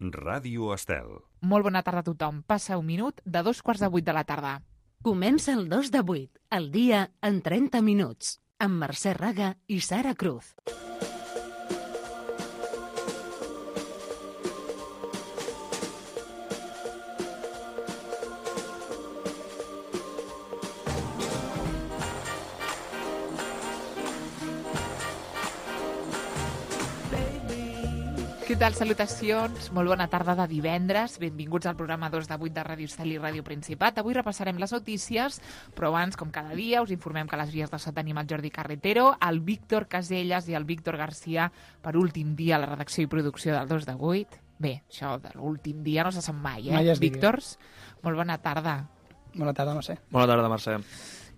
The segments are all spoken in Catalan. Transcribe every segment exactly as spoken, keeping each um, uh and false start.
Ràdio Estel. Molt bona tarda a tothom. Passa un minut de dos quarts de vuit de la tarda. Comença el dos de vuit, el dia en trenta minuts, amb Mercè Raga i Sara Cruz. Què tal? Salutacions. Molt bona tarda de divendres. Benvinguts al programa dos de vuit de Ràdio Estel i Ràdio Principat. Avui repassarem les notícies, però abans, com cada dia, us informem que a les vies de so tenim el Jordi Carretero, el Víctor Caselles i el Víctor Garcia per últim dia a la redacció i producció del dos de vuit. Bé, això de l'últim dia no se sap mai, eh? Mai es digui. Víctors, molt bona tarda. Bona tarda, Mercè. Bona tarda, Mercè.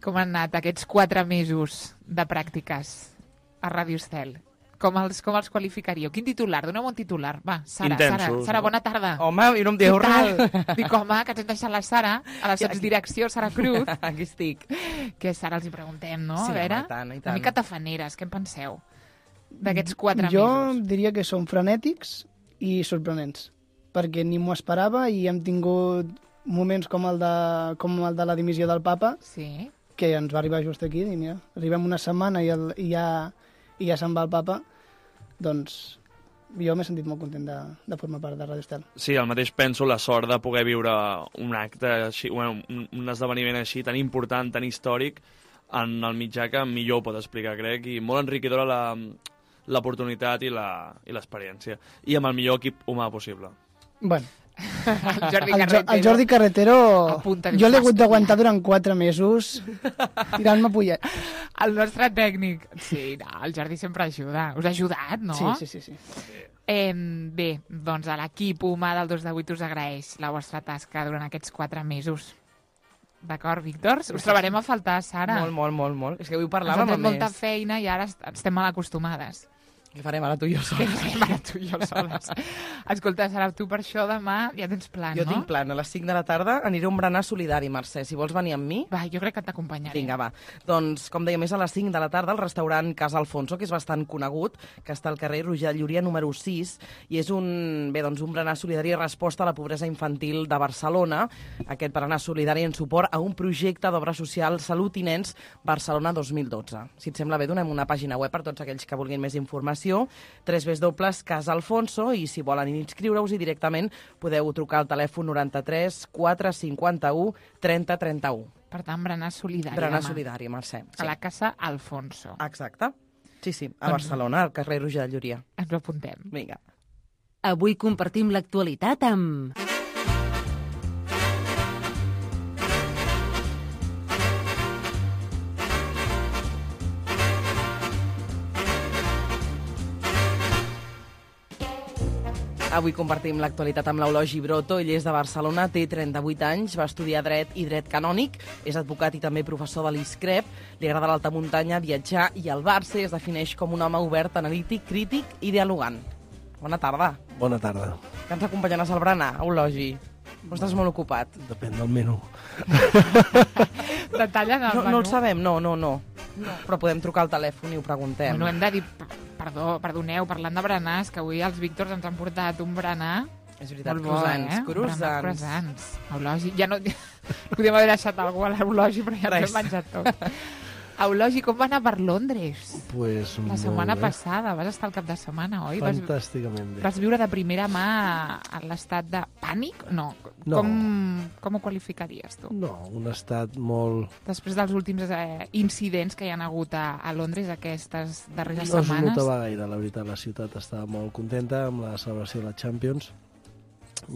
Com han anat aquests quatre mesos de pràctiques a Ràdio Estel? Com els, com els qualificaríeu? Quin titular? Doneu un titular. Va, Sara, Intensos, Sara, Sara, bona tarda. Home, jo no em dieu Què tal? res. Dic, home, que ens hem deixat la Sara, a la sotsdirecció, Sara Cruz. Aquí estic. Que Sara els hi preguntem, no? Sí, a veure, home, i tant, i una tant. mica tafaneres, què en penseu d'aquests quatre jo mesos? diria que són frenètics i sorprenents, perquè ni m'ho esperava i hem tingut moments com el de, com el de la dimissió del papa, Sí? que ens va arribar just aquí, i mira, arribem una setmana i, el, i, ja, i ja se'n va el papa, doncs jo m'he sentit molt content de, de formar part de Ràdio Estel. Sí, el mateix penso, la sort de poder viure un acte així, bueno, un, un esdeveniment així tan important, tan històric, en el mitjà que millor ho pot explicar, crec, i molt enriquidora la, l'oportunitat i la, i l'experiència. I amb el millor equip humà possible. Bueno, El Jordi el, Jo- Carretero. el Jordi Carretero, Apunta, diu, jo l'he hagut "Vas d'aguantar durant quatre mesos tirant-me pollet. El nostre tècnic. Sí, no, el Jordi sempre ajuda. Us ha ajudat, no? Sí, sí, sí, sí. Eh, bé, doncs a l'equip humà del dos de vuit us agraeix la vostra tasca durant aquests quatre mesos. D'acord, Víctor? Us trobarem a faltar, Sara. Molt, molt, molt, molt. És que avui Ens parlàvem hem a fet molta més. feina i ara est- estem mal acostumades. Què farem ara tu i jo Què sols? fem ara tu i jo soles? Escolta, Sara, tu per això demà ja tens plan, Jo no? tinc plan. A les cinc de la tarda aniré a un berenar solidari, Mercè. Si vols venir amb mi... Va, jo crec que t'acompanyaré. Vinga, va. Doncs, com deia, més a les cinc de la tarda al restaurant Casa Alfonso, que és bastant conegut, que està al carrer Roger Llúria número sis, i és un, bé, doncs, un berenar solidari en resposta a la pobresa infantil de Barcelona. Aquest berenar solidari en suport a un projecte d'obra social Salut i Nens Barcelona dos mil dotze. Si et sembla bé, donem una pàgina web per tots aquells que vulguin més informació, tres dobles Casa Alfonso, i si volen inscriure-us-hi directament podeu trucar al telèfon noranta-tres quatre cinquanta-u trenta trenta-u. Per tant, berenar solidari Berenar demà. solidari, Mercè. A la casa Alfonso. Exacte. Sí, sí, a Doncs- Barcelona, al carrer Roger de Llúria. Ens ho apuntem. Vinga. Avui compartim l'actualitat amb... Avui compartim l'actualitat amb l'Eulogi Broto. Ell és de Barcelona, té trenta-vuit anys, va estudiar dret i dret canònic, és advocat i també professor de l'ISCREP, li agrada l'alta muntanya, viatjar i el Barça, es defineix com un home obert, analític, crític i dialogant. Bona tarda. Bona tarda. Que ens acompanyaràs al berenar, Eulogi? O estàs molt ocupat? Depèn del menú. Detallen el No, menú. no el sabem, no, no, no. no. Però podem trucar al telèfon i ho preguntem. Bueno, hem de dir... Perdó, perdoneu, parlant de berenars, que avui els Víctors ens han portat un berenar És veritat, molt bo, croissants, eh? Un berenar croissants. croissants. Eulogi, ja no... Podríem haver deixat algú a l'Eulogi, però ja ens Res. hem menjat tot. Eulogi, com va anar per Londres? Pues La molt setmana bé. passada, vas estar al cap de setmana, oi? Vas, Fantàsticament bé. vas viure de primera mà a l'estat de pànic? No. No. Com, com ho qualificaries, tu? No, un estat molt... Després dels últims eh, incidents que hi han hagut a, a Londres aquestes darreres No es setmanes. notava gaire, la veritat. La ciutat estava molt contenta amb la celebració de la Champions.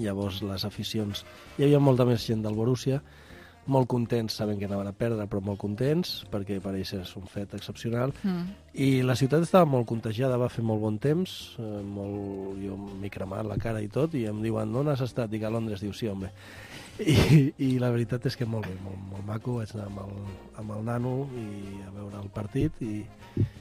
Llavors les aficions... Hi havia molta més gent del Borussia, molt contents, sabent que anaven a perdre, però molt contents, perquè per ells és un fet excepcional. Mm. I la ciutat estava molt contagiada, va fer molt bon temps, eh, molt... jo m'he cremat la cara i tot, i em diuen, on has estat? Dic, a Londres. Diu, sí, home. I, i la veritat és que molt bé, molt, molt maco. Vaig anar amb el, amb el nano i a veure el partit. I,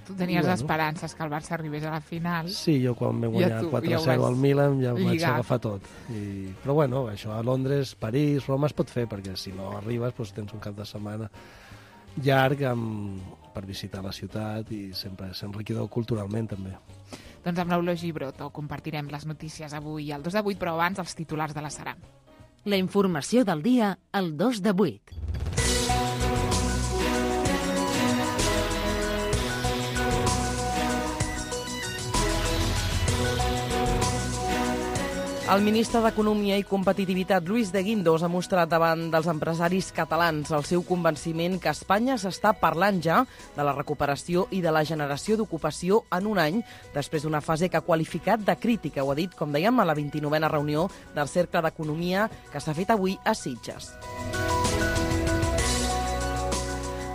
Tu tenies Bueno. esperances que el Barça arribés a la final. sí, jo quan vam Ja guanyar tu, quatre ja ho zero vas al Milan ja ho vaig lligar. agafar tot. I, però bueno, això a Londres, París, Roma es pot fer, perquè si no arribes doncs tens un cap de setmana llarg amb per visitar la ciutat i sempre és enriquidor culturalment també. Doncs amb l'Eulogi Broto compartirem les notícies avui al dos de vuit, però abans els titulars de la Sara. La informació del dia al dos de vuit. El ministre d'Economia i Competitivitat, Luis de Guindos, ha mostrat davant dels empresaris catalans el seu convenciment que Espanya s'està parlant ja de la recuperació i de la generació d'ocupació en un any, després d'una fase que ha qualificat de crítica. Ho ha dit, com dèiem, a la vint-i-novena reunió del Cercle d'Economia que s'ha fet avui a Sitges.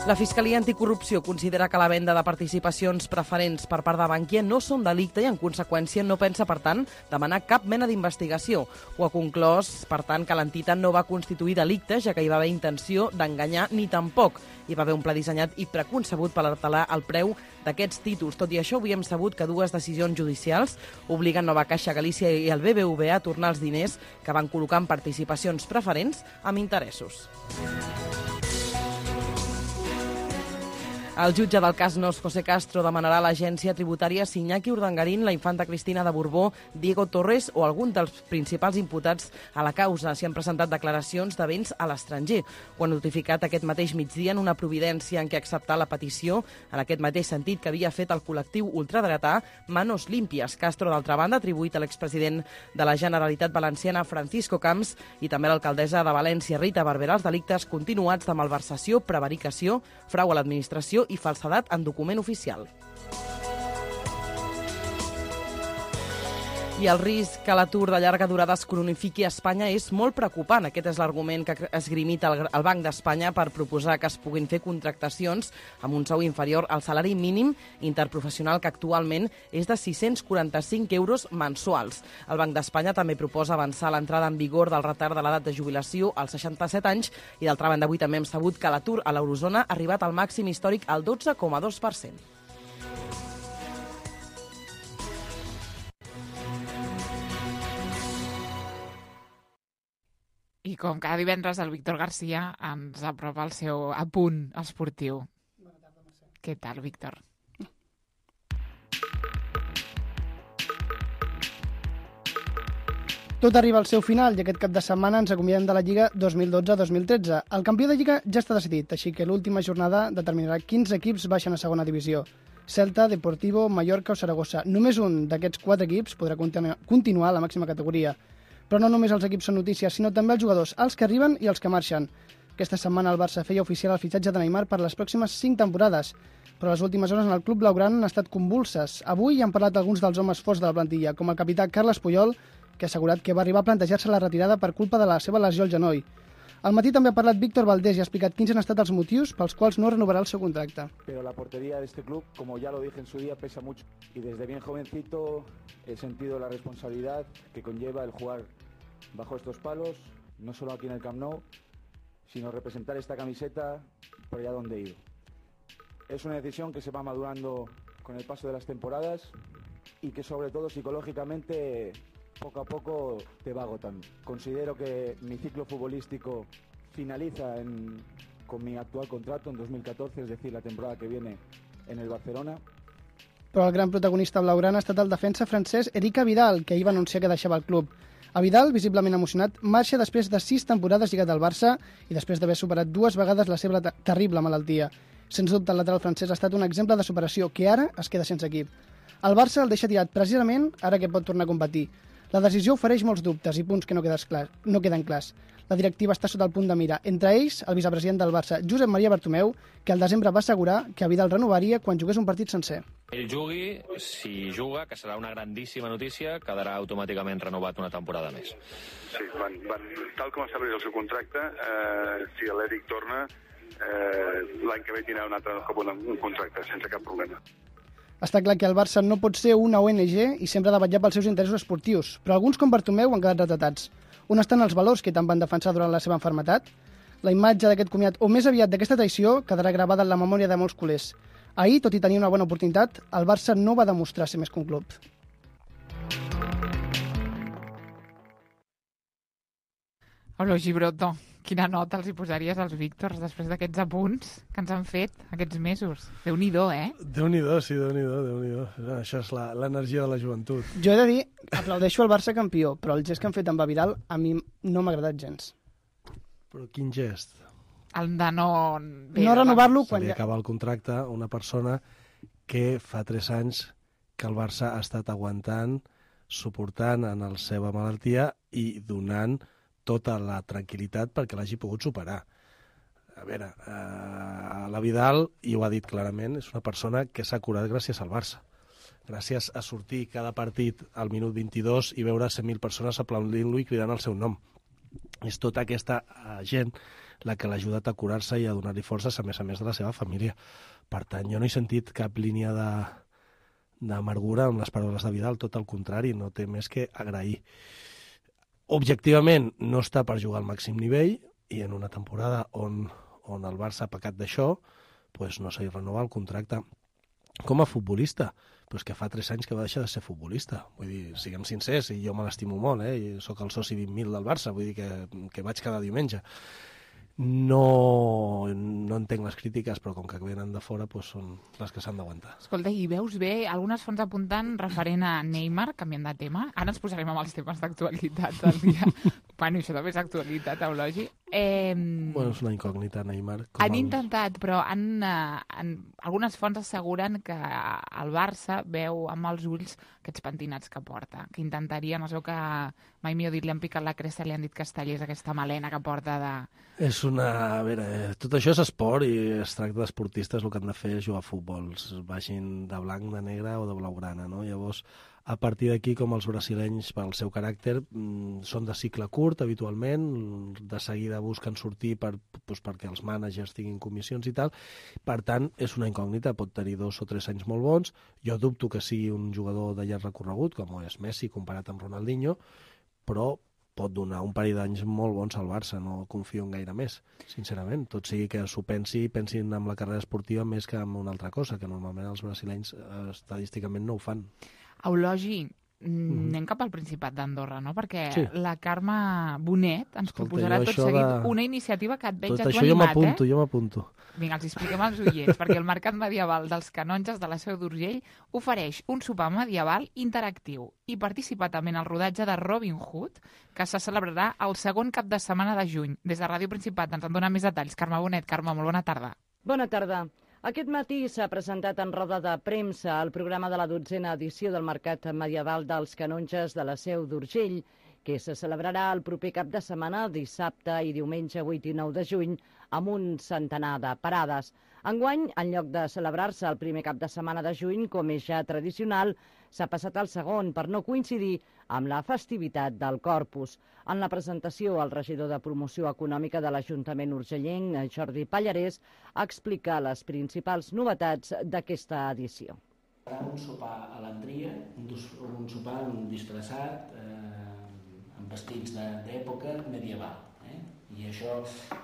La Fiscalia Anticorrupció considera que la venda de participacions preferents per part de Bankia no són delicte i, en conseqüència, no pensa, per tant, demanar cap mena d'investigació. Ho ha conclòs, per tant, que l'entitat no va constituir delicte, ja que hi va haver intenció d'enganyar ni tampoc. Hi va haver un pla dissenyat i preconcebut per alterar el preu d'aquests títols. Tot i això, avui hem sabut que dues decisions judicials obliguen Nova Caixa Galícia i el B B V a tornar els diners que van col·locar en participacions preferents amb interessos. El jutge del cas Nos, José Castro, demanarà a l'agència tributària Iñaki Urdangarín, la infanta Cristina de Borbó, Diego Torres o algun dels principals imputats a la causa si han presentat declaracions de béns a l'estranger. Ho han notificat aquest mateix migdia en una providència en què acceptar la petició en aquest mateix sentit que havia fet el col·lectiu ultradretà Manos Limpias. Castro, d'altra banda, ha atribuït a l'expresident de la Generalitat Valenciana, Francisco Camps, i també a l'alcaldessa de València, Rita Barberà, els delictes continuats de malversació, prevaricació, frau a l'administració i falsedat en document oficial. I el risc que l'atur de llarga durada es cronifiqui a Espanya és molt preocupant. Aquest és l'argument que ha esgrimit el, el Banc d'Espanya per proposar que es puguin fer contractacions amb un sou inferior al salari mínim interprofessional, que actualment és de sis-cents quaranta-cinc euros mensuals. El Banc d'Espanya també proposa avançar l'entrada en vigor del retard de l'edat de jubilació als seixanta-set anys i, d'altra banda, avui també hem sabut que l'atur a l'eurozona ha arribat al màxim històric al dotze coma dos per cent. I com cada divendres, el Víctor Garcia ens apropa el seu apunt esportiu. Bona tarda, Mercè. Què tal, Víctor? Tot arriba al seu final i aquest cap de setmana ens acomiadem de la Lliga dos mil dotze dos mil tretze. El campió de Lliga ja està decidit, així que l'última jornada determinarà quins equips baixen a segona divisió. Celta, Deportivo, Mallorca o Saragossa. Només un d'aquests quatre equips podrà continuar a la màxima categoria. Però no només els equips són notícies, sinó també els jugadors, els que arriben i els que marxen. Aquesta setmana el Barça feia oficial el fitxatge de Neymar per les pròximes cinc temporades, però les últimes hores en el club blaugrana han estat convulses. Avui han parlat alguns dels homes forts de la plantilla, com el capità Carles Puyol, que ha assegurat que va arribar a plantejar-se la retirada per culpa de la seva lesió al genoll. Al matí també ha parlat Víctor Valdés i ha explicat quins han estat els motius pels quals no renovarà el seu contracte. Pero la portería de este club, como ya lo dije en su día, pesa mucho. Y desde bien jovencito he sentido la responsabilidad que conlleva el jugar bajo estos palos, no solo aquí en el Camp Nou, sino representar esta camiseta por allá donde he ido. Es una decisión que se va madurando con el paso de las temporadas y que sobre todo psicológicamente poco a poco te va agotando. Considero que mi ciclo futbolístico finaliza en, con mi actual contrato en dos mil catorce, es decir, la temporada que viene en el Barcelona. Però el gran protagonista blaugrana ha estat el defensa francès Eric Vidal, que ahir va anunciar que deixava el club. A Vidal, visiblement emocionat, marxa després de sis temporades lligat al Barça i després d'haver superat dues vegades la seva terrible malaltia. Sens dubte, el lateral francès ha estat un exemple de superació, que ara es queda sense equip. El Barça el deixa tirat precisament ara que pot tornar a competir. La decisió ofereix molts dubtes i punts que no, clar, no queden clars. La directiva està sota el punt de mira. Entre ells, el vicepresident del Barça, Josep Maria Bartomeu, que al desembre va assegurar que Vidal renovaria quan jugués un partit sencer. Ell jugui, si juga, que serà una grandíssima notícia, quedarà automàticament renovat una temporada més. Sí, van, van, tal com estableix el seu contracte, eh, si l'Eric torna, eh, l'any que ve tindrà un altre cop un contracte, sense cap problema. Està clar que el Barça no pot ser una O N G i sempre ha de vetllar pels seus interessos esportius, però alguns com Bartomeu han quedat retratats. On estan els valors que tant van defensar durant la seva malaltia? La imatge d'aquest comiat, o més aviat d'aquesta traïció, quedarà gravada en la memòria de molts culers. Ahir, tot i tenir una bona oportunitat, el Barça no va demostrar ser més que un club. Hola, Gibroto. Quina nota els hi posaries als Víctors després d'aquests apunts que ens han fet aquests mesos? Déu-n'hi-do, eh? Déu-n'hi-do, sí, Déu-n'hi-do, Déu-n'hi-do. Això és la- l'energia de la joventut. Jo he de dir, aplaudeixo el Barça campió, però el gest que han fet amb Vidal a mi no m'ha agradat gens. Però quin gest? El de no... No renovar-lo Se quan li ja... acaba el contracte a una persona que fa tres anys que el Barça ha estat aguantant, suportant en la seva malaltia i donant tota la tranquil·litat perquè l'hagi pogut superar. A veure, eh, la Vidal, i ho ha dit clarament, és una persona que s'ha curat gràcies al Barça. Gràcies a sortir cada partit al minut vint-i-dos i veure cent mil persones aplaudint-lo i cridant el seu nom. És tota aquesta eh, gent la que l'ha ajudat a curar-se i a donar-li forces, a més a més de la seva família. Per tant, jo no he sentit cap línia de d'amargura amb les paraules de Vidal, tot el contrari, no té més que agrair. Objectivament, no està per jugar al màxim nivell i en una temporada on, on el Barça ha pecat d'això, pues no s'ha renovat el contracte. Com a futbolista, però és que fa tres anys que va deixar de ser futbolista. Vull dir, siguem sincers, i jo me l'estimo molt, eh? I soc el soci vint mil del Barça, vull dir que, que vaig cada diumenge. No, no entenc les crítiques, però com que venen de fora, doncs són les que s'han d'aguantar. Escolta, i veus bé algunes fonts apuntant referent a Neymar, canviant de tema. Ara ens posarem amb els temes d'actualitat del dia. Bueno, això també és actualitat, Eulogi. Eh, Bueno, és una incògnita, Neymar. Com han el... intentat, però han, eh, han, algunes fonts asseguren que el Barça veu amb els ulls aquests pentinats que porta, que intentarien, no sé que mai millor dit, li han picat la cresta, li han dit que es tallés aquesta melena que porta de... És una... A veure, tot això és esport i es tracta d'esportistes, el que han de fer és jugar a futbol, vagin de blanc, de negre o de blaugrana, no? Llavors, a partir d'aquí, com els brasilenys, pel seu caràcter, són de cicle curt, habitualment, de seguida busquen sortir per, doncs, perquè els mànagers tinguin comissions i tal. Per tant, és una incògnita, pot tenir dos o tres anys molt bons. Jo dubto que sigui un jugador de llarg recorregut, com és Messi, comparat amb Ronaldinho, però pot donar un parell d'anys molt bons al Barça, no confio en gaire més, sincerament. Tot sigui que s'ho pensi i pensin en la carrera esportiva més que en una altra cosa, que normalment els brasilenys eh, estadísticament no ho fan. Eulogi, mm-hmm. anem cap al Principat d'Andorra, no? Perquè Sí. la Carme Bonet ens Escolta, proposarà jo tot això seguit de- una iniciativa que et veig Tot a tu això jo animat, m'apunto, eh? jo m'apunto. Vinga, els expliquem als oients, perquè el Mercat Medieval dels Canonges de la Seu d'Urgell ofereix un sopar medieval interactiu i participa també en el rodatge de Robin Hood, que se celebrarà el segon cap de setmana de juny. Des de Ràdio Principat ens en dona més detalls. Carme Bonet. Carme, molt bona tarda. Bona tarda. Aquest matí s'ha presentat en roda de premsa el programa de la dotzena edició del Mercat Medieval dels Canonges de la Seu d'Urgell, que se celebrarà el proper cap de setmana, dissabte i diumenge vuit i nou de juny, amb un centenar de parades. Enguany, en lloc de celebrar-se el primer cap de setmana de juny, com és ja tradicional, s'ha passat al segon per no coincidir amb la festivitat del Corpus. En la presentació, el regidor de Promoció Econòmica de l'Ajuntament urgellenc, Jordi Pallarès, explica les principals novetats d'aquesta edició. Un sopar a l'Andria, un, un sopar disfressat, eh, amb vestits d'època medieval. Eh? I això,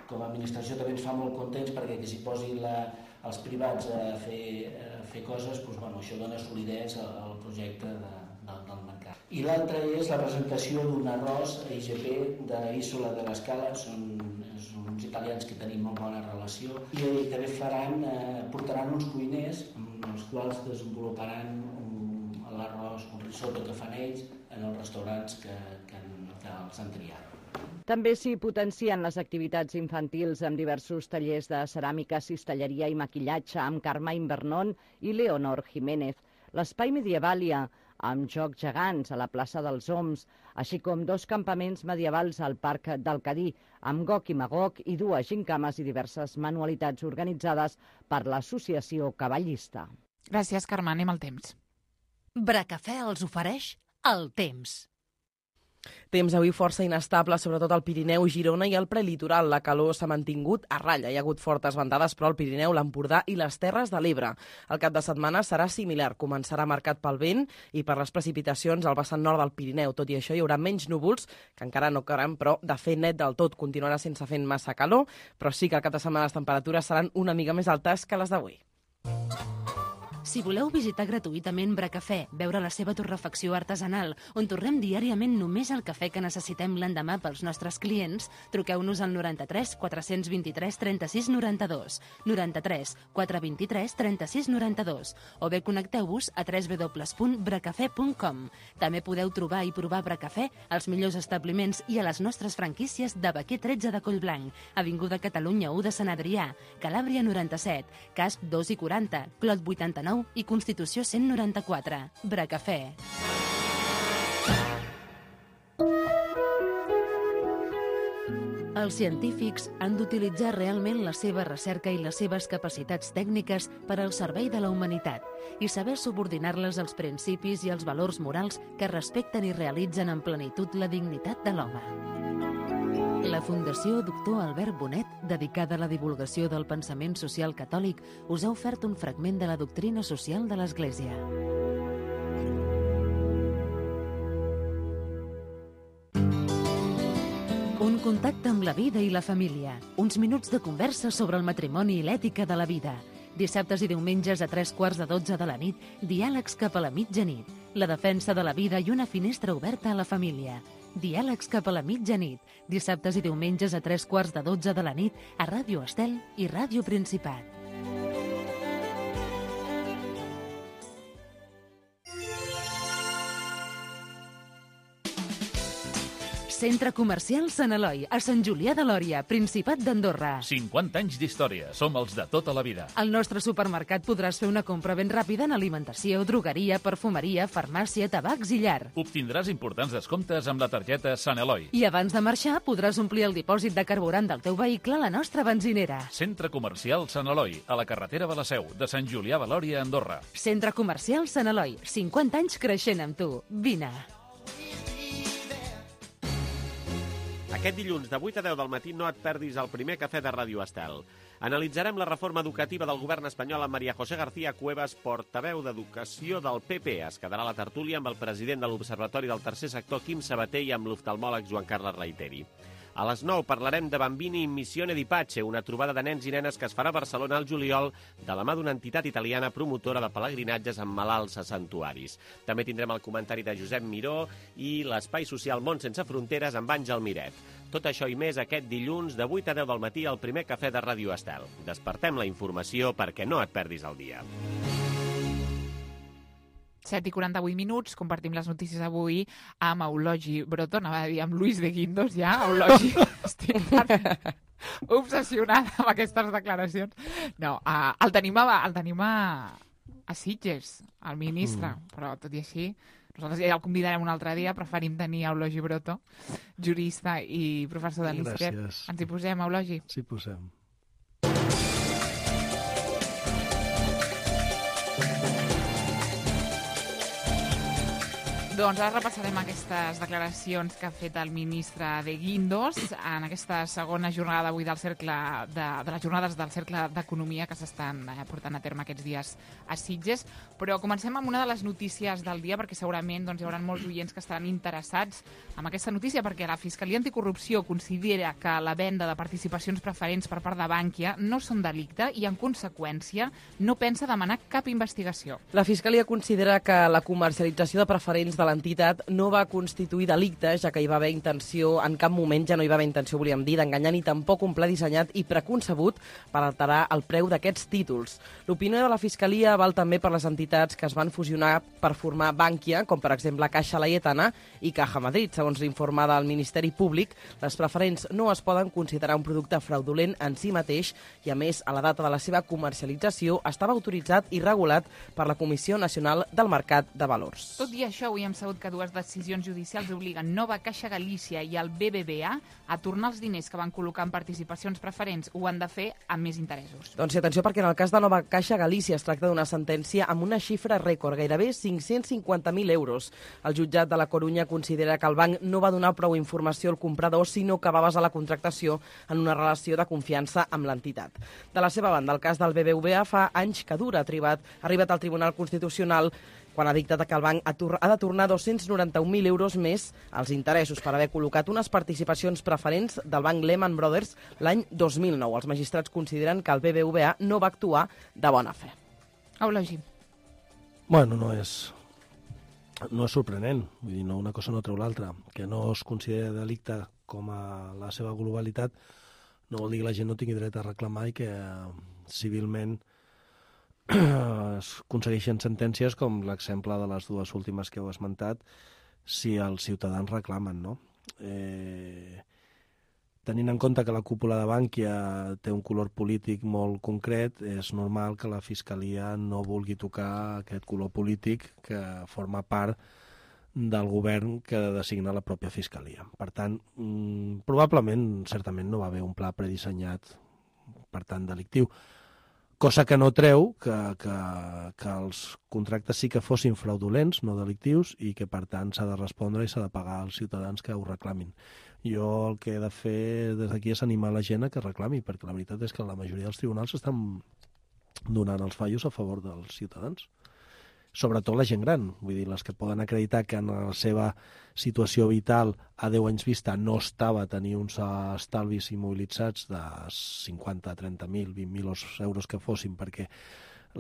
com a administració, també ens fa molt contents perquè que s'hi posin la, els privats a fer, a fer coses, doncs, bueno, això dona solidesa al projecte de, de, del mercat. I l'altre és la presentació d'un arròs I G P d'Isola de l'Escala, són, són uns italians que tenim molt bona relació, i també faran, eh, portaran uns cuiners amb els quals desenvoluparan un, l'arròs, un risotto que fan ells en els restaurants que, que, que els han triat. També s'hi potencien les activitats infantils amb diversos tallers de ceràmica, cistelleria i maquillatge amb Carmine Vernon i Leonor Jiménez. L'espai Medievàlia, amb jocs gegants a la plaça dels Oms, així com dos campaments medievals al Parc del Cadí, amb Gog i Magog i dues gincames i diverses manualitats organitzades per l'Associació Cavallista. Gràcies, Carme. Anem al temps. Bracafè els ofereix el temps. Temps avui força inestable, sobretot al Pirineu, Girona i al prelitoral. La calor s'ha mantingut a ratlla. Hi ha hagut fortes ventades, però al Pirineu, l'Empordà i les Terres de l'Ebre. El cap de setmana serà similar. Començarà marcat pel vent i per les precipitacions al vessant nord del Pirineu. Tot i això, hi haurà menys núvols, que encara no cauran, però de fer net del tot. Continuarà sense fent massa calor, però sí que al cap de setmana les temperatures seran una mica més altes que les d'avui. Si voleu visitar gratuïtament Bracafè, veure la seva torrefacció artesanal, on torrem diàriament només el cafè que necessitem l'endemà pels nostres clients, truqueu-nos al noranta-tres quatre-cents vint-i-tres trenta-sis noranta-dos, noranta-tres quatre-cents vint-i-tres trenta-sis noranta-dos, o bé connecteu-vos a w w w punt bracafè punt com. També podeu trobar i provar Bracafè als millors establiments i a les nostres franquícies de Baquer tretze de Collblanc, Avinguda Catalunya u de Sant Adrià, Calàbria noranta-set, Casp dos i quaranta, Clot vuitanta-nou i Constitució cent noranta-quatre. Bracafè. Els científics han d'utilitzar realment la seva recerca i les seves capacitats tècniques per al servei de la humanitat i saber subordinar-les als principis i als valors morals que respecten i realitzen en plenitud la dignitat de l'home. La Fundació Doctor Albert Bonet, dedicada a la divulgació del pensament social catòlic, us ha ofert un fragment de la doctrina social de l'Església. Un contacte amb la vida i la família. Uns minuts de conversa sobre el matrimoni i l'ètica de la vida. Dissabtes i diumenges a tres quarts de dotze de la nit, diàlegs cap a la mitjanit. La defensa de la vida i una finestra oberta a la família. Diàlegs cap a la mitjanit. Dissabtes i diumenges a tres quarts de dotze de la nit a Ràdio Estel i Ràdio Principat. Centre Comercial Sant Eloi, a Sant Julià de Lòria, Principat d'Andorra. cinquanta anys d'història. Som els de tota la vida. Al nostre supermercat podràs fer una compra ben ràpida en alimentació, drogueria, perfumeria, farmàcia, tabacs i llar. Obtindràs importants descomptes amb la targeta Sant Eloi. I abans de marxar podràs omplir el dipòsit de carburant del teu vehicle a la nostra benzinera. Centre Comercial Sant Eloi, a la carretera de la Seu, de Sant Julià de Lòria, Andorra. Centre Comercial Sant Eloi, cinquanta anys creixent amb tu. Vine. Aquest dilluns de vuit a deu del matí no et perdis el primer cafè de Ràdio Estel. Analitzarem la reforma educativa del govern espanyol amb María José García Cuevas, portaveu d'Educació del P P. Es quedarà a la tertúlia amb el president de l'Observatori del Tercer Sector, Quim Sabater, i amb l'oftalmòleg Joan Carles Reiteri. A les nou parlarem de Bambini in Missione di Pace, una trobada de nens i nenes que es farà a Barcelona al juliol de la mà d'una entitat italiana promotora de pelegrinatges amb malalts a santuaris. També tindrem el comentari de Josep Miró i l'espai social Món Sense Fronteres amb Àngel Miret. Tot això i més aquest dilluns de vuit a deu del matí al primer cafè de Ràdio Estel. Despertem la informació perquè no et perdis el dia. set i quaranta-vuit minuts, compartim les notícies avui amb Eulogi Broto, anava a dir amb Luis de Guindos, ja, Eulogi, estic obsessionada amb aquestes declaracions. No, uh, el tenim, a, el tenim a, a Sitges, el ministre, mm. però tot i així, nosaltres ja el convidarem un altre dia, preferim tenir Eulogi Broto, jurista i professor de l'I S C E P. Gràcies. Ens hi posem, Eulogi? Sí, posem. Doncs ara repassarem aquestes declaracions que ha fet el ministre de Guindos en aquesta segona jornada d'avui del cercle de, de les jornades del Cercle d'Economia que s'estan eh, portant a terme aquests dies a Sitges. Però comencem amb una de les notícies del dia, perquè segurament doncs, hi haurà molts oients que estaran interessats en aquesta notícia, perquè la Fiscalia Anticorrupció considera que la venda de participacions preferents per part de Bankia no són delicte i, en conseqüència, no pensa demanar cap investigació. La Fiscalia considera que la comercialització de preferents de l'entitat no va constituir delicte, ja que hi va haver intenció, en cap moment ja no hi va haver intenció, volíem dir, d'enganyar, ni tampoc un pla dissenyat i preconcebut per alterar el preu d'aquests títols. L'opinió de la Fiscalia val també per les entitats que es van fusionar per formar Bankia, com per exemple Caixa Laietana i Caja Madrid. Segons l'informe del Ministeri Públic, les preferents no es poden considerar un producte fraudulent en si mateix i, a més, a la data de la seva comercialització estava autoritzat i regulat per la Comissió Nacional del Mercat de Valors. Tot i això, avui hem sabut que dues decisions judicials obliguen Nova Caixa Galícia i el B B V A a tornar els diners que van col·locar en participacions preferents. Ho han de fer amb més interessos. Doncs sí, atenció, perquè en el cas de Nova Caixa Galícia es tracta d'una sentència amb una xifra rècord, gairebé cinc-cents cinquanta mil euros. El jutjat de la Corunya considera que el banc no va donar prou informació al comprador, sinó que va basar la contractació en una relació de confiança amb l'entitat. De la seva banda, el cas del B B V A fa anys que dura. Ha arribat, ha arribat al Tribunal Constitucional quan ha dictat que el banc ha de tornar dos-cents noranta-un mil euros més als interessos per haver col·locat unes participacions preferents del banc Lehman Brothers l'any dos mil nou. Els magistrats consideren que el B B V A no va actuar de bona fe. Eulogi. Bueno, no és, no és sorprenent, vull dir, no, una cosa no treu l'altra. Que no es considera delicte com a la seva globalitat no vol dir que la gent no tingui dret a reclamar i que civilment es aconsegueixen sentències com l'exemple de les dues últimes que heu esmentat si els ciutadans reclamen, no? Eh, tenint en compte que la cúpula de Bankia té un color polític molt concret, és normal que la Fiscalia no vulgui tocar aquest color polític que forma part del govern que designa la pròpia Fiscalia. Per tant, mmm, probablement, certament, no va haver un pla predissenyat, per tant, delictiu. Cosa que no treu que, que, que els contractes sí que fossin fraudulents, no delictius, i que, per tant, s'ha de respondre i s'ha de pagar als ciutadans que ho reclamin. Jo el que he de fer des d'aquí és animar la gent a que reclami, perquè la veritat és que la majoria dels tribunals estan donant els fallos a favor dels ciutadans. Sobretot la gent gran, vull dir, les que poden acreditar que en la seva situació vital a deu anys vista no estava a tenir uns estalvis immobilitzats de cinquanta, trenta mil, vint mil euros que fossin, perquè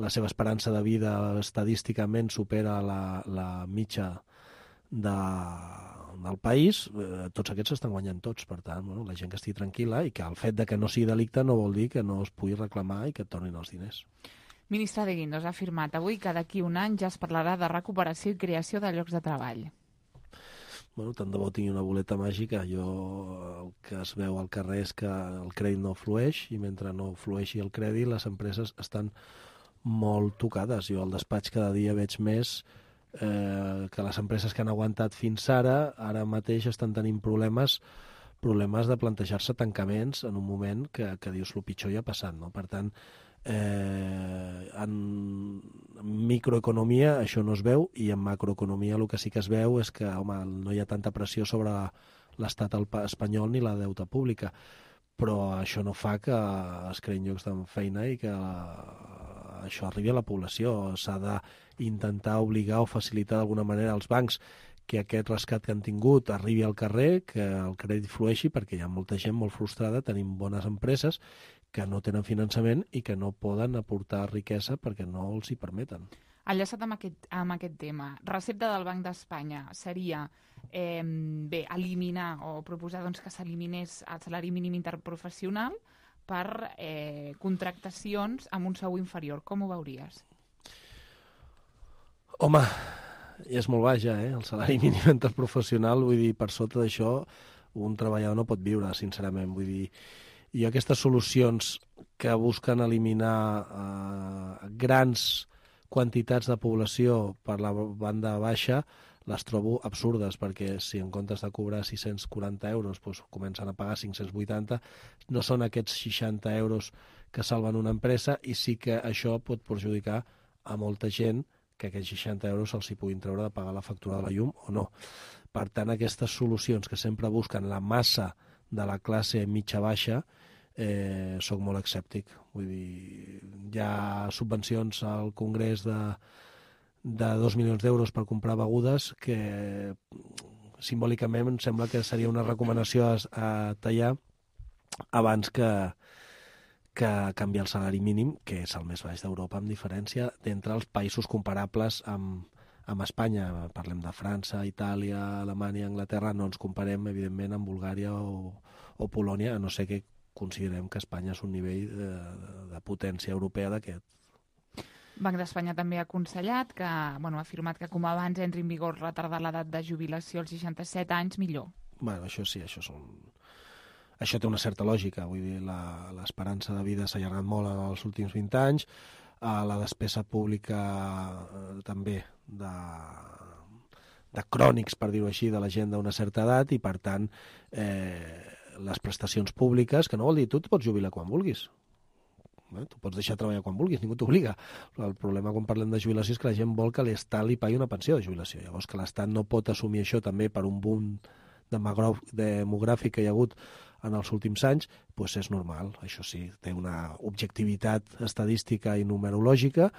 la seva esperança de vida estadísticament supera la, la mitja de, del país, eh, tots aquests estan guanyant tots. Per tant, bueno, la gent que estigui tranquil·la i que el fet de que no sigui delicte no vol dir que no es pugui reclamar i que et tornin els diners. Ministre de Guindos ha afirmat avui que d'aquí un any ja es parlarà de recuperació i creació de llocs de treball. Bueno, tant de bo tingui una boleta màgica. Jo el que es veu al carrer és que el crèdit no flueix i mentre no flueixi el crèdit les empreses estan molt tocades. Jo al despatx cada dia veig més eh, que les empreses que han aguantat fins ara, ara mateix estan tenint problemes problemes de plantejar-se tancaments en un moment que, que dius el pitjor ja ha passat, no? Per tant, Eh, en microeconomia això no es veu i en macroeconomia el que sí que es veu és que home, no hi ha tanta pressió sobre l'estat espanyol ni la deuta pública, però això no fa que es creïn llocs de feina i que això arribi a la població. S'ha d'intentar obligar o facilitar d'alguna manera als bancs que aquest rescat que han tingut arribi al carrer, que el crèdit flueixi, perquè hi ha molta gent molt frustrada, tenim bones empreses que no tenen finançament i que no poden aportar riquesa perquè no els hi permeten. Enllaçat amb aquest, amb aquest tema, recepta del Banc d'Espanya seria eh, bé, eliminar o proposar doncs, que s'eliminés el salari mínim interprofessional per eh, contractacions amb un sou inferior. Com ho veuries? Home, és molt baix ja, eh? El salari mínim interprofessional, vull dir, per sota d'això un treballador no pot viure, sincerament, vull dir. I aquestes solucions que busquen eliminar eh, grans quantitats de població per la banda baixa les trobo absurdes, perquè si en comptes de cobrar sis-cents quaranta euros doncs, comencen a pagar cinc-cents vuitanta, no són aquests seixanta euros que salven una empresa i sí que això pot perjudicar a molta gent que aquests seixanta euros se'ls hi puguin treure de pagar la factura de la llum o no. Per tant, aquestes solucions que sempre busquen la massa de la classe mitja-baixa, eh, soc molt escèptic. Vull dir, hi ha subvencions al Congrés de, de dos milions d'euros per comprar begudes que simbòlicament em sembla que seria una recomanació a, a tallar abans que, que canviar el salari mínim, que és el més baix d'Europa, amb diferència d'entre els països comparables amb, amb Espanya. Parlem de França, Itàlia, Alemanya, Anglaterra, no ens comparem, evidentment, amb Bulgària o, o Polònia, a no ser que considerem que Espanya és un nivell de, de potència europea d'aquest. Banc d'Espanya també ha aconsellat que, bueno, ha afirmat que com abans entri en vigor retardar l'edat de jubilació als seixanta-set anys, millor. Bueno, això sí, això són... Això té una certa lògica, vull dir, l'esperança de vida s'ha allargat molt en els últims vint anys, la despesa pública eh, també de, de crònics, per dir-ho així, de la gent d'una certa edat i, per tant, eh, les prestacions públiques, que no vol dir tu et pots jubilar quan vulguis. Eh? Tu pots deixar de treballar quan vulguis, ningú t'obliga. El problema quan parlem de jubilació és que la gent vol que l'Estat li pagui una pensió de jubilació. Llavors que l'Estat no pot assumir això també per un boom demogràfic que hi ha hagut en els últims anys, doncs és normal. Això sí, té una objectivitat estadística i numerològica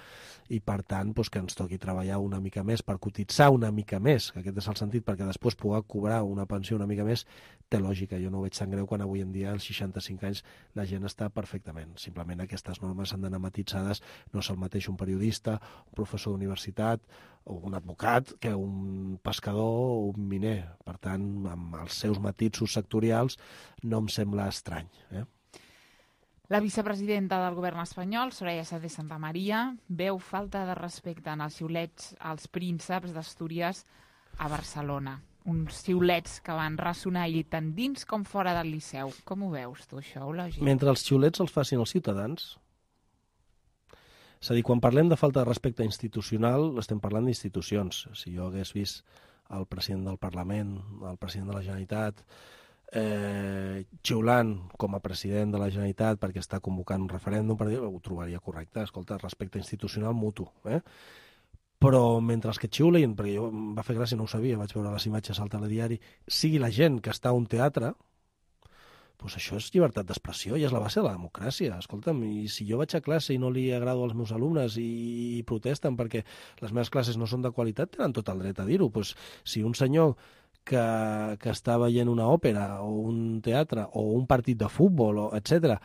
i, per tant, doncs, que ens toqui treballar una mica més per cotitzar una mica més, que aquest és el sentit, perquè després poder cobrar una pensió una mica més, té lògica. Jo no ho veig tan greu quan avui en dia, als seixanta-cinc anys, la gent està perfectament. Simplement aquestes normes han d'anar matitzades. No és el mateix un periodista, un professor d'universitat o un advocat que un pescador o un miner. Per tant, amb els seus matisos sectorials no em sembla estrany. Eh? La vicepresidenta del govern espanyol, Soraya Sáenz de Santamaría, veu falta de respecte en els xiulets als prínceps d'Astúries a Barcelona. Uns xiulets que van ressonar ahir tant dins com fora del Liceu. Com ho veus tu, això, Eulogui? Mentre els xiulets els facin els ciutadans. És a dir, quan parlem de falta de respecte institucional, estem parlant d'institucions. Si jo hagués vist el president del Parlament, el president de la Generalitat, eh, xiulant com a president de la Generalitat perquè està convocant un referèndum, per dir, ho trobaria correcte. Escolta, respecte institucional mutu. Eh? Però mentre els que xiulen, perquè jo em va fer gràcia, no ho sabia, vaig veure les imatges al telediari, sigui la gent que està a un teatre, doncs això és llibertat d'expressió i és la base de la democràcia. Escolta'm, i si jo vaig a classe i no li agrado als meus alumnes i, i protesten perquè les meves classes no són de qualitat, tenen tot el dret a dir-ho. Pues, si un senyor que, que està veient una òpera o un teatre o un partit de futbol, o etcètera,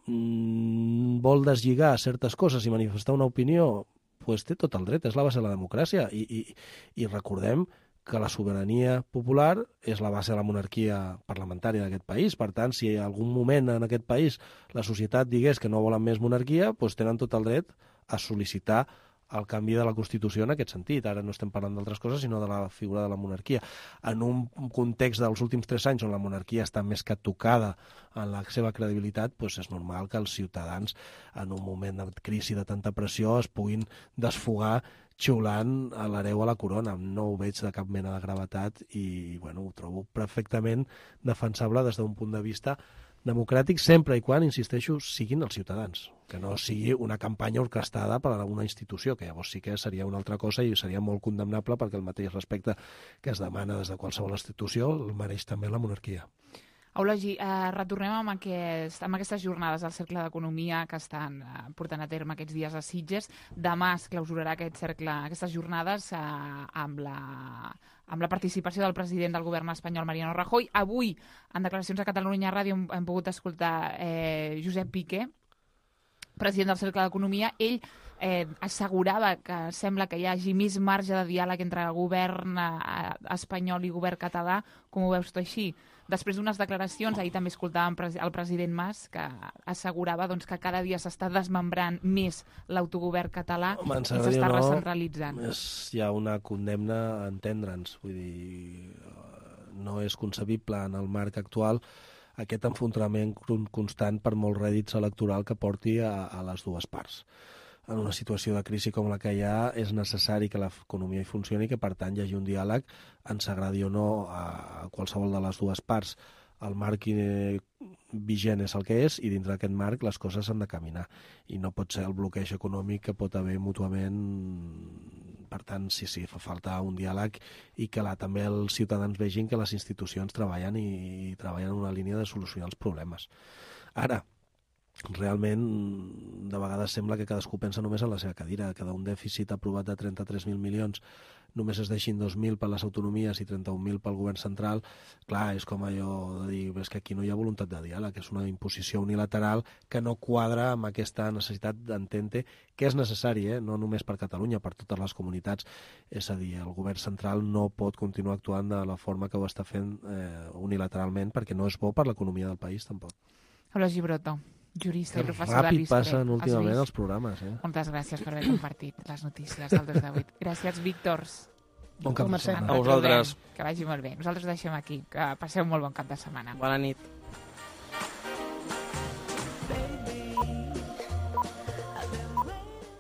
mmm, vol deslligar certes coses i manifestar una opinió, pues té tot el dret, és la base de la democràcia. I, i, i recordem que la sobirania popular és la base de la monarquia parlamentària d'aquest país. Per tant, si en algun moment en aquest país la societat digués que no volen més monarquia, doncs tenen tot el dret a sol·licitar el canvi de la Constitució en aquest sentit. Ara no estem parlant d'altres coses, sinó de la figura de la monarquia. En un context dels últims tres anys on la monarquia està més que tocada en la seva credibilitat, doncs és normal que els ciutadans, en un moment de crisi de tanta pressió, es puguin desfogar xiulant a l'hereu a la corona. No ho veig de cap mena de gravetat i bueno, ho trobo perfectament defensable des d'un punt de vista democràtic, sempre i quan, insisteixo, siguin els ciutadans, que no sigui una campanya orquestada per a una institució, que llavors sí que seria una altra cosa i seria molt condemnable perquè el mateix respecte que es demana des de qualsevol institució el mereix també la monarquia. Eulogui, eh, retornem amb, aquest, amb aquestes jornades al Cercle d'Economia que estan eh, portant a terme aquests dies a Sitges. Demà es clausurarà aquest cercle, aquestes jornades eh, amb, la, amb la participació del president del govern espanyol, Mariano Rajoy. Avui, en declaracions a Catalunya Ràdio, hem, hem pogut escoltar eh, Josep Piqué, president del Cercle d'Economia. Ell eh, assegurava que sembla que hi hagi més marge de diàleg entre el govern eh, espanyol i govern català. Com ho veus tu així? Després d'unes declaracions, ahir també escoltàvem el president Mas, que assegurava doncs, que cada dia s'està desmembrant més l'autogovern català Home, i s'està no, recentralitzant. És, hi ha una condemna a entendre'ns. Vull dir, no és concebible en el marc actual aquest enfrontament constant per molt rèdits electoral que porti a, a les dues parts. En una situació de crisi com la que hi ha, és necessari que l'economia hi funcioni i que, per tant, hi hagi un diàleg, ens agradi o no a qualsevol de les dues parts. El marc vigent és el que és i dintre d'aquest marc les coses han de caminar. I no pot ser el bloqueig econòmic que pot haver mútuament. Per tant, sí, sí, fa falta un diàleg i que la, també els ciutadans vegin que les institucions treballen i, i treballen en una línia de solucionar els problemes. Ara, realment, de vegades sembla que cadascú pensa només en la seva cadira, que d'un dèficit aprovat de trenta-tres mil milions només es deixin dos mil per les autonomies i trenta-un mil pel govern central. Clar, és com allò de dir, és que aquí no hi ha voluntat de diàleg, és una imposició unilateral que no quadra amb aquesta necessitat d'entendre que és necessari, eh? No només per Catalunya, per totes les comunitats. És a dir, el govern central no pot continuar actuant de la forma que ho està fent eh, unilateralment, perquè no és bo per l'economia del país, tampoc. Eulogui Broto, jurista que i professor de l'I S C R E. Ràpid passen últimament els programes. Eh? Moltes gràcies per haver compartit les notícies del dos de vuit. Gràcies, Víctors. Bon cap de setmana. A vosaltres. Que vagi molt bé. Nosaltres ho deixem aquí. Que passeu un molt bon cap de setmana. Bona nit.